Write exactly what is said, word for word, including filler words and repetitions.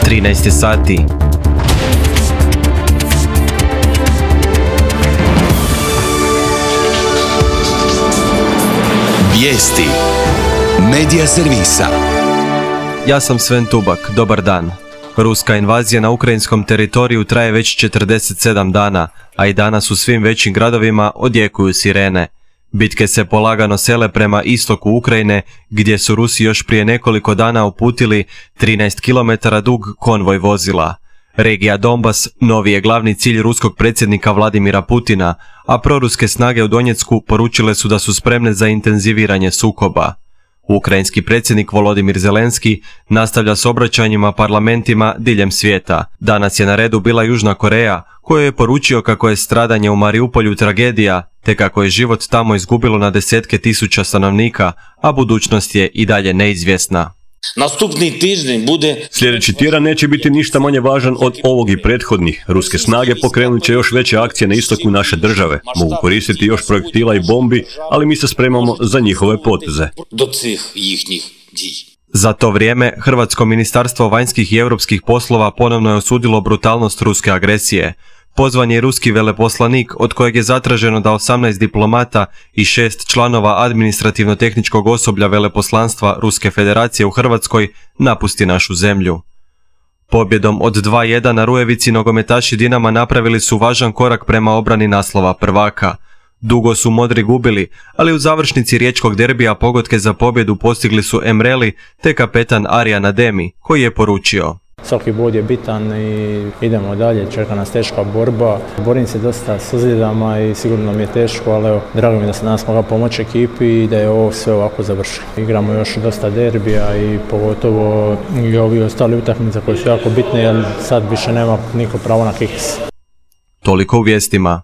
trinaest je sati. Vijesti Medija servisa. Ja sam Sven Tubak, dobar dan. Ruska invazija na ukrajinskom teritoriju traje već četrdeset sedam dana, a i danas u svim većim gradovima odjekuju sirene. Bitke se polagano sele prema istoku Ukrajine, gdje su Rusi još prije nekoliko dana uputili trinaest kilometara dug konvoj vozila. Regija Donbas novi je glavni cilj ruskog predsjednika Vladimira Putina, a proruske snage u Donjecku poručile su da su spremne za intenziviranje sukoba. Ukrajinski predsjednik Volodimir Zelenski nastavlja s obraćanjima parlamentima diljem svijeta. Danas je na redu bila Južna Koreja, kojoj je poručio kako je stradanje u Mariupolju tragedija, te kako je život tamo izgubilo na desetke tisuća stanovnika, a budućnost je i dalje neizvjesna. Nastupni tjedan bude... Sljedeći tjedan neće biti ništa manje važan od ovog i prethodnih. Ruske snage pokrenut će još veće akcije na istoku naše države. Mogu koristiti još projektila i bombi, ali mi se spremamo za njihove poteze. Do cih njihnih dij. Za to vrijeme, Hrvatsko ministarstvo vanjskih i europskih poslova ponovno je osudilo brutalnost ruske agresije. Pozvan je ruski veleposlanik, od kojeg je zatraženo da osamnaest diplomata i šest članova administrativno-tehničkog osoblja veleposlanstva Ruske federacije u Hrvatskoj napusti našu zemlju. Pobjedom od dva jedan na Rujevici nogometaši Dinama napravili su važan korak prema obrani naslova prvaka. Dugo su modri gubili, ali u završnici riječkog derbija pogodke za pobjedu postigli su Emreli te kapetan Arjan Ademi, koji je poručio: Svaki bod je bitan i idemo dalje, čeka nas teška borba. Borim se dosta s ozljedama i sigurno mi je teško, ali evo, drago mi da se danas mogla pomoći ekipi i da je ovo sve ovako završilo. Igramo još dosta derbija i pogotovo i ovi ostali utakmice koje su jako bitne, jer sad više nema niko pravo na kiks. Toliko u vijestima.